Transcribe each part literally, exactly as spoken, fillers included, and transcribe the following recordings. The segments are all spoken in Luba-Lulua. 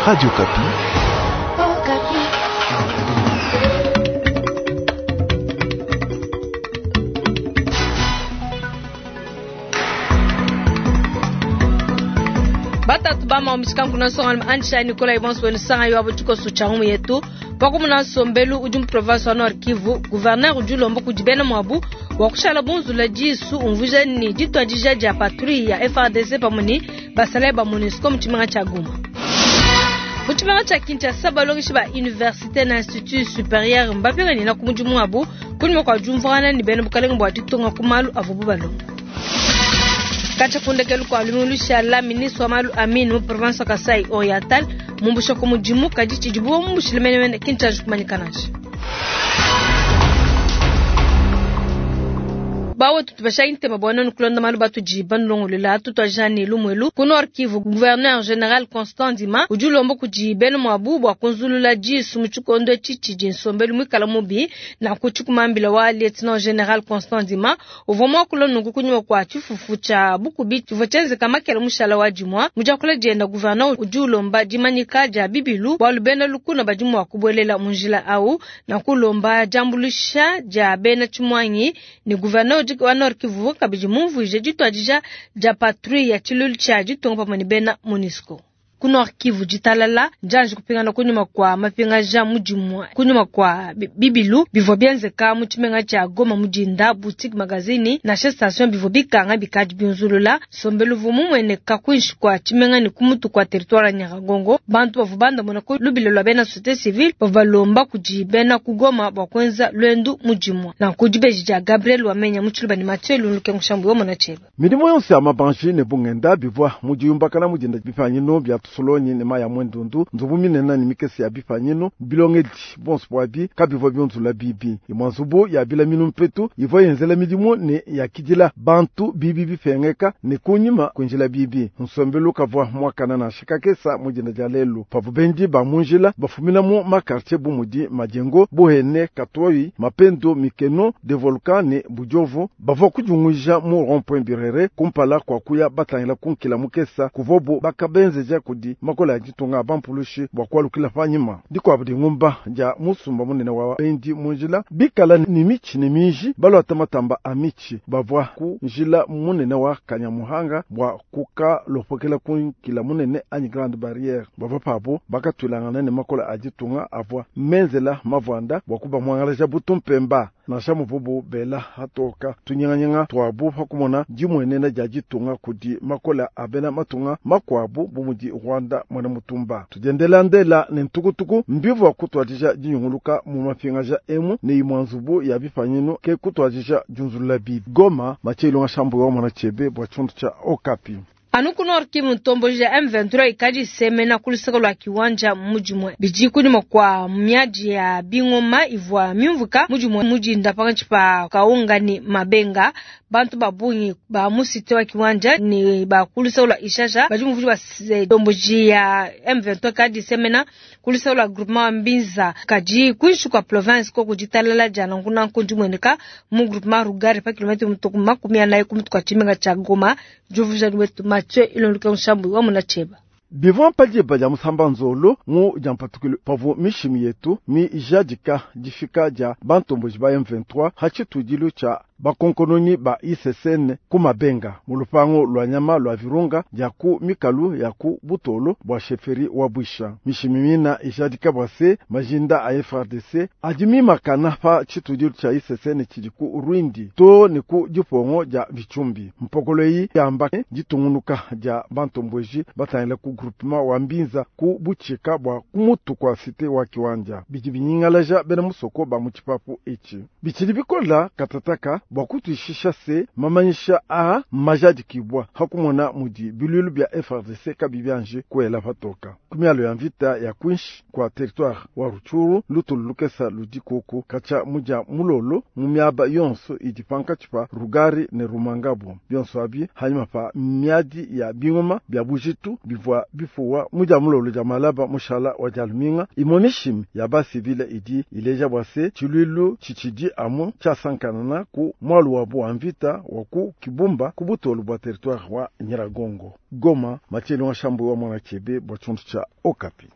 Radio Okapi. Oh, Batatu bama omishikanku na nsonga Ansha Nicolas Ibonso wenu sanga yo abo tshikoso tsha ngumu yetu pakumuna nsombelu udi mu province wa Nord Kivu. Gouverneur udi ulomba kudi bena muabu wa kushala bunzula disu umvuija ni dituadija dia patrouille ya F A R D C pamue ne basalayi ba MONUSCO mu tshimenga tshia Goma. Mu tshimenga tshia Kinshasa, balongeshi ba université na institut supérieur mbapinganina ku mudimu wabu kunyima kua diumvuangana ne bena bukalenge bua ditunga ku malu avuabu balonga. Katshia ku ndekelu kua lumingu lushala, ministre wa malu a mine mu province wa Kasai Oriental mumbusha ku mudimu, kadi tshidibu bamumbushile menemene ki ntshianji kumanyika nansha. Bawetu, tupesha ntema bua nenu kulonda malu batudi banulongolola. Tutuadija ne lumuelu ku Nord Kivu. Gouverneur général Constant Ndima udi ulomba kudi bena muabu bua kunzulula disu mu tshikondo etshi tshidi nsombelu muikala mubi. Nanku tshikumambila wa lieutenant général Constant Ndima uvua muakula nunku kunyima kua tshifufu tshia bukubi tshivua tshienzeka makela mushala wa dimua. Mu diakula dienda, gouverneur udi ulomba dimanyika dia bibilu bualu bena lukuna badi mua kubuelela mu njila au, nanku ulomba diambuluisha dia bena tshimuangi. Ne gouverneur wa Nord Kivu kabidi mumvuije dituadija dia patrouille ya tshiluilu tshia ditunga pamue ne bena MONUSCO. Ku Nord Kivu, ditalala ndianji kupingana kunyima kua mapingaja mudimu kunyima kua bibilu bivua bienzeka mu tshimenga tshia Goma mu dinda. Boutique, magazini nansha station bivua bikanga bikadi binzulula. Nsombelu uvua mumueneka kuinshi kua tshimenga ne ku mutu kua territoire ya Nyiragongo. Bantu bavua bandamuna ku lubilo lua bena société civile bavua balomba kudi bena ku Goma bua kuenza luendu mudimu. Nanku dibeji dia Gabriel Wamenya mu Tshiluba ne Mathieu Lulukengo Shambu yomona tshieba. Milimo yonso ya mabanji ne bungenda bivua mu diyumbakana mu dinda. Bipanyinu bia tusolonyi ne mayi a mwendundu, nzubu minene ne mikese ya bipanyinu bilongedi, bonso bwabi kabivua bionzula bibi. Imua nzubu ya bilaminu mpetu ivua yenzela midimu ne yakidila bantu bibi bipengeka ne kunyima kuinjila bibi. Nsombelu kavua muakana nansha kakesa mu dinda dia lelu pavua bendi ba mu njila bafumina mu makartier bu mudi Majengo, Buhene, Katoyi, Mapendo, Mikeno, de Volcan ne Budiovu. Bavua kudiunguija mu rond-point Birere kumpala kua kuya batangila kunkila mukesa kuvobu bakabenzeja kudi makola ya ditunga bampulushi bua kualukila panyima. Dikuabu dingumba dia musumba munene wa bendi mu njila bikala ni mitshi ne minji balwata matamba a mitshi bavua ku njila munene wa Kanyamuhanga bua kukalopokela kunkila munene anyi grande barrière. Bavua pabu bakatwilangana ne makola a ditunga avua menzela mavuanda bua kubamuangalaja butumpemba. Nansha muvubu bela hatoka tunyinganyinga tuabu pakumona dimuenena dia ditunga kudi makola a bena matunga makuabu bu mudi Rwanda mwena mutumba, tudiendela ndela ne ntukutuku mbivua kutuadija dinyunguluka mu mapingaja emu ne imua nzubu ya bipanyinu ke kutuadija diunzulula bibi. Goma, Mathieu Ilonga Shambu wa mwana chebe bua tshiondo tshia Okapi. Anu ku Nord Kivu, ntomboji ya M vingt-trois ikadi isemena ku luseke lua Kiwanja mudimue. Bidi kunyima kua miadi ya bingoma ivua miumvuka mudimue mudinda pankatshi pa Kaunga ne Mabenga. Bantu ba bungi ba mu cité wa Kiwanja ne ba ku luseke lua Ishasha badi muvudi ba ntomboji ya M vingt-trois ikadi isemena ku luseke lua groupement wa Mbinza. Kadi kuinshi kua province koku, ditalala dia nankunanku dimueneka mu groupement Rugari pa kilomètre mutuku makumi anayi ku mutu kua tshimenga tshia Goma. Diumvuija wetu Mathieu Ilonduka Nshambu wa muna tshieba. Bivua padiba dia musamba nzolo mu dia mpatukilu pavua mishimi yetu mijadika difika dia bantomboji ba M vingt-trois ha tshitudilu tshia bakonkononyi ba I C C N ku Mabenga mu lupango lua nyama lua Virunga dia ku mikalu ya ku butolo bua chefferie wa Bwisha. Mishimi mina ijadika bua se majinda a F A R D C adi mimakana pa tshitudilu tshia I C C N tshidi ku Rwindi to ne ku dipongo dia Vitshumbi. Mpokolo eyi yamba ditungunuka dia bantomboji batangila ku groupement wa Mbinza ku butshika bua kumutu kua cité wa Kiwanja. Bidi binyingalaja bena musoko ba mu tshipapu etshi. Bitshidi bikola katataka bua kutuishisha se mamanyisha a majadikibwa hakumona mudi biluilu bia F A R D C kabi bianje kuela patoka ku mialo ya mvita ya kwinshi kwa territoire wa Rutshuru. Lutulu lukesa ludi kuku katshia mudia mulolo mu miaba yonso idi pankatshi pa Rugari ne Rumangabo. Bionso abi hanyima pa miadi ya bingoma bia bujitu bivua bifuwa mu dia mulolo dia malaba mushala wa dia luminga. Imue mishimi ya basivile idi ileja bua se tshiluilu tshitshidi amu tshiasankanana ku mwalu wabu wa mvita wa ku Kibumba ku butolu bua territoire wa Nyiragongo. Goma, Mathieu Shambu wa mwana chebe bua tshundu tshia Okapi.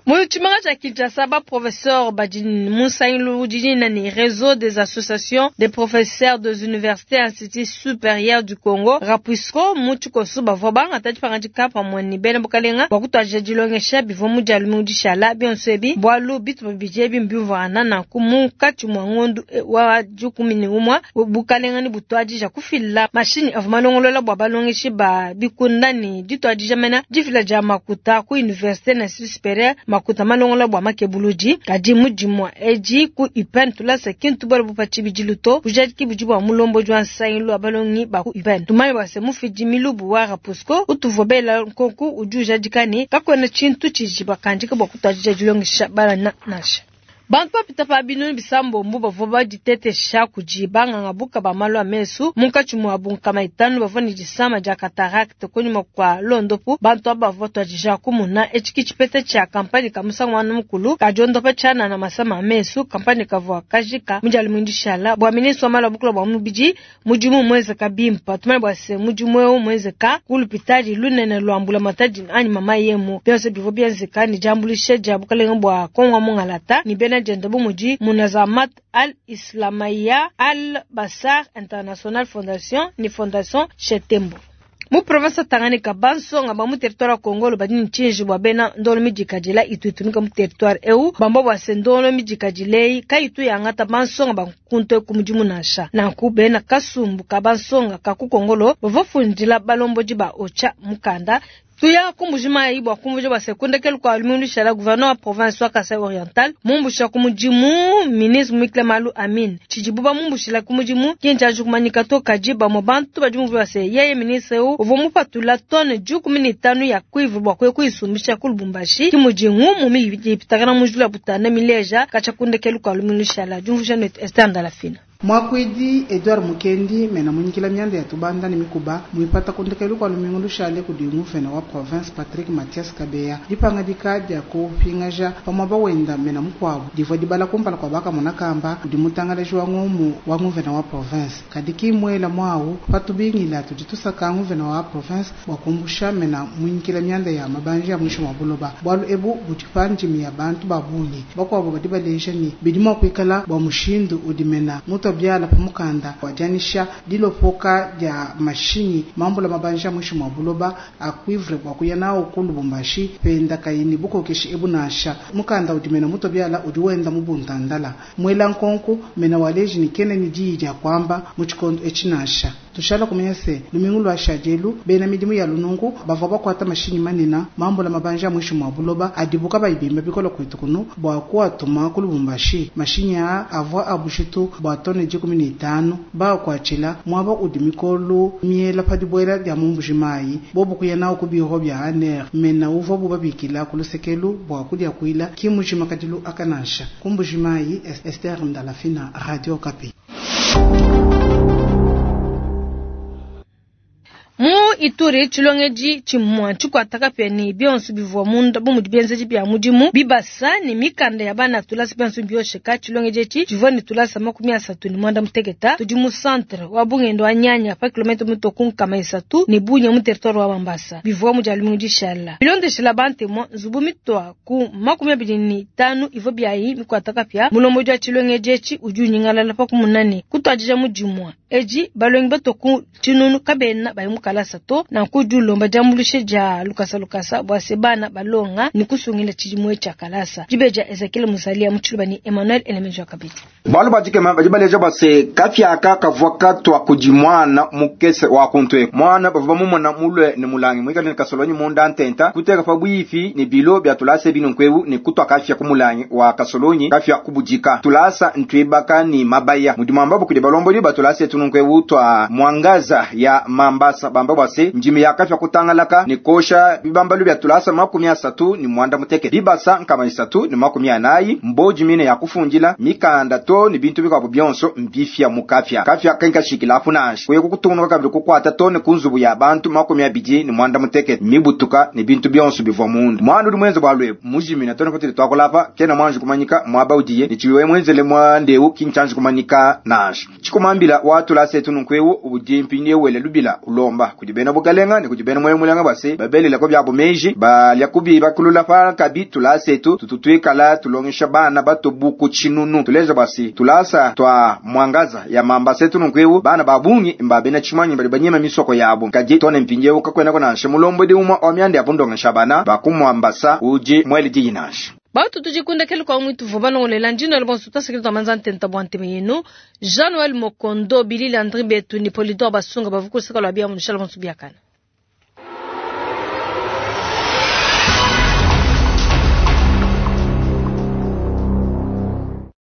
Mu tshimenga tshia Kinshasa, ba professeur badi mu nsangilu udi ni réseau des associations des professeurs des universités et instituts supérieurs du Congo RAPUISCO mu tshikoso bavua bangata dipangadika pamue ne bena bukalenga bua kutuadija dilongesha bivua mu dia lumingu dishala bionso ebi bualu bitupa bidi ebi mbiumvuangana nanku munkatshi mua ngondu wa dikumi ne umue bukalenga ne butuadija kufila mashinyi avua malongolola bua balongeshi ba bikunda ne dituadija mena difila dia makuta ku université na institut supérieur makuta malongola bua makebuludi kadi mudimua edi ku UPEN tulasa kintu bwale bupa tshibidilu to bujadiki budi bua mulombodi wa nsangilu wa balongi ba ku UPEN tumanye bua se mufidi milubu wa RAPUISCO utuvua bela nkonku udi ujadika ne kakuena tshintu tshidi bakandika bua kutuadija dilongesha bana nansha. Bantu bapita pa binunu bisambombo bavua baditetesha kudi banganga buka ba malu a mesu munkatshi muabu nkama itanu bavua ne disama dia cataracte kunyima kua londopu bantu aba bavua batuadija kumuna etshi ki tshipeta tshia kampani ka musangu wa mukulu kadiondopa tshianana masama a mesu kampani kavua kajika mu dia lumingu dishala bua ministre wa malu a bukula bua mubidi mudimu muenzeka bimpa tumanye bua se mudimu eu muenzeka ku lupitadi lunene lua mbulamatadi anyi mama yemu bionso bivua bienzeka ne diambuluisha dia bukalenga bua Kongo mungalata ne bena dienda bu mudi Munazamat Al Islamaya Al Basar International Foundation ni Fondation Chetembo. Mu province Tanganyika bansonga ba mu territoire ya Kongolo badi ne tshinji bua bena ndolo midikadila itu itumika mu territoire eu bamba bua se ndolo midikadila eyi kayitu yangata bansonga ba nkuntu eku mudimu nansha nanku bena kasumbu ka bansonga ka ku Kongolo bavua fundila balombodi ba Ocha mukanda tuya ku Mbuji-Mayi bua kumvuija bua se kundekelu kua lumingu lushala gouverneur wa province wa Kasai Oriental mumbusha ku mudimu ministre Mwikile Malu Amin tshidibu bamumbushila ku mudimu ki ntshianji kumanyika to kadi bamue bantu badi bumvua bua se yeye ministre eu uvua mupatula tonne dikumi ne itanu ya cuivre bua kuya kuyisumbisha ku Lubumbashi ki mudi ngumu mibi ipitakana mu njila butanda mileja katshia kundekelu kua lumingu lushala diumvuija netu Esther Ndalafina. Mwakwidi Edouard Mukendi mena munyikila myanda ya tubanda ne mikuba muipata kundekelu kwa lumingu lushale kudi nguvena wa province Patrick Mathias Kabeya dipangadika dia kupingaja pamwaba wenda mena mukwabu divua dibala kumpala kwa baka munakamba kudi mutangalaji wa ngomu wa nguvena wa province kadi kimwela mwawu patubingila tudi tusaka nguvena wa province bua kumbusha mena munyikila myanda ya mabanja ya mwisho wa buloba bwalu ebu budi pandimi ya bantu babungi bakwabo badi baleja ni bidi mua kuikala bua mushindu udi mena mutu byala pamukanda wajanisha dilopoka dia mashinyi mambula mabanja mwisho mwa buloba a cuivre bua kuya nawo ku Lubumbashi penda kayini bukokeshi ebu nansha mukanda udi mena muto byala udi wenda mu buntandala mwela nkonko mena waleji ni kene ni diyi dia kwamba mu tshikondo etshi nansha tushala kumenya se lumingu lwa shajelu bena midimu ya lunungu bavua bakwata mashinyi manena mambula mabanja mwisho mwa buloba adibuka bayibimba bikola kwetu kunu bua kuatuma ku Lubumbashi mashinyi a avua abushitu bua tone dikumi ne itanu bakwatshila mwaba udi mikolo miela pa dibuela dia mu Mbuji-Mayi bobu kuya nawo ku biro bia ANR mena uvua bubabikila ku lusekelu bua kudia kuila ki mujima kadilu akanansha ku Mbuji-Mayi Esther Ndalafina Radio Okapi. Mu Ituri tshilongedi tshimua tshikuataka pe ni bionso bivua munda bu mudi bienzedi bia mudimu bibasa ne mikanda ya bana tulasa bionso biosheka tshilongedi etshi tshivua ne tulasa makumi asatu ne mwanda muteketa tudi mu centre wa bungendo wa Nyanya pa kilomètre mutoku nkama isatu ne bunya mu territoire wa Mambasa bivua mu dia lumingu dishala bilondeshela bantemo nzubu mitwa ku makumi abidi ne itanu ivua biayi mikuataka pia mulombodi wa tshilongedi etshi udi unyingalala pa kumunane kutuadija mudimua edi balongi batoku tshinunu kabena bayi mukalasa to na kudi ulomba diambuluisha dia lukasa lukasa bua se bana balonga ni kusungila tshidimu tshia kalasa dibeja Ezekiel Musalia mu tshiluba ni Emmanuel Elemenjo kabidi balu badikema badi baleja base kafiaka kavua katwa kudi mwana mukese wa kuntwe mwana bavua bamumona mulwe ne mulangi mwikale ne kasolonyi munda ntenta kuteka pa bwifi ne bilo bya tulasa bino nkwewu ne kutwa kafia ku mulangi wa kasolonyi kafia kubudika tulasa ntwibaka ni mabaya mudi mwamba kudi balombodi batulasa tunu nkwewu twa mwangaza ya mambasa bamba bwase njimi ya kafia kutangalaka ni kosha bibambalu bya tulasa makumi asatu ni mwanda muteke bibasa nkama isatu ni makumi anayi mboji mine ya kufundila mikanda to to ne bintu bikuabu bionso mbifia mu kapia. Kapia kenkashikila apu nansha kuya kukutungunuka kabidi kukuata to ne ku nzubu ya bantu makumi abidi ne mwanda mutekete mibutuka ne bintu bionso bivua munda. Mwana udi mwenze bwalu ebu mujimina to ne patudi tuakulapa kena mwanji kumanyika mwaba udiye ne tshiwe mwenzele mwandeu kinchanji kumanyika nansha. Tshikumambila watula setu nunkuewu udi mpindieu wele lubila ulomba kudi bena bukalenga ne kudi bena moyo mulenga base babelela ko byabo meji balya kubi bakulula pa kabi tulasetu tututuikala tulongesha bana batobuku tshinunu tuleza basi tulasa twa mwangaza ya mamba setu nunkuewu bana babungi mbabena tshimanyi bali banyema misoko yabo kadi tone mpindieu kakwena nansha mulombo di umwa wa myanda ya bundongesha bana bakumwambasa uji mwele diyi nansha bautu tudikundekele kwa mwitu vuba nongolela ndino le bonso tasekele twamanza ntenta bwa nteme yenu Jean Noël Mokondo Bilili André Betu ni Polidor Basunga bavukusika lwa bia munishala bonso biakana.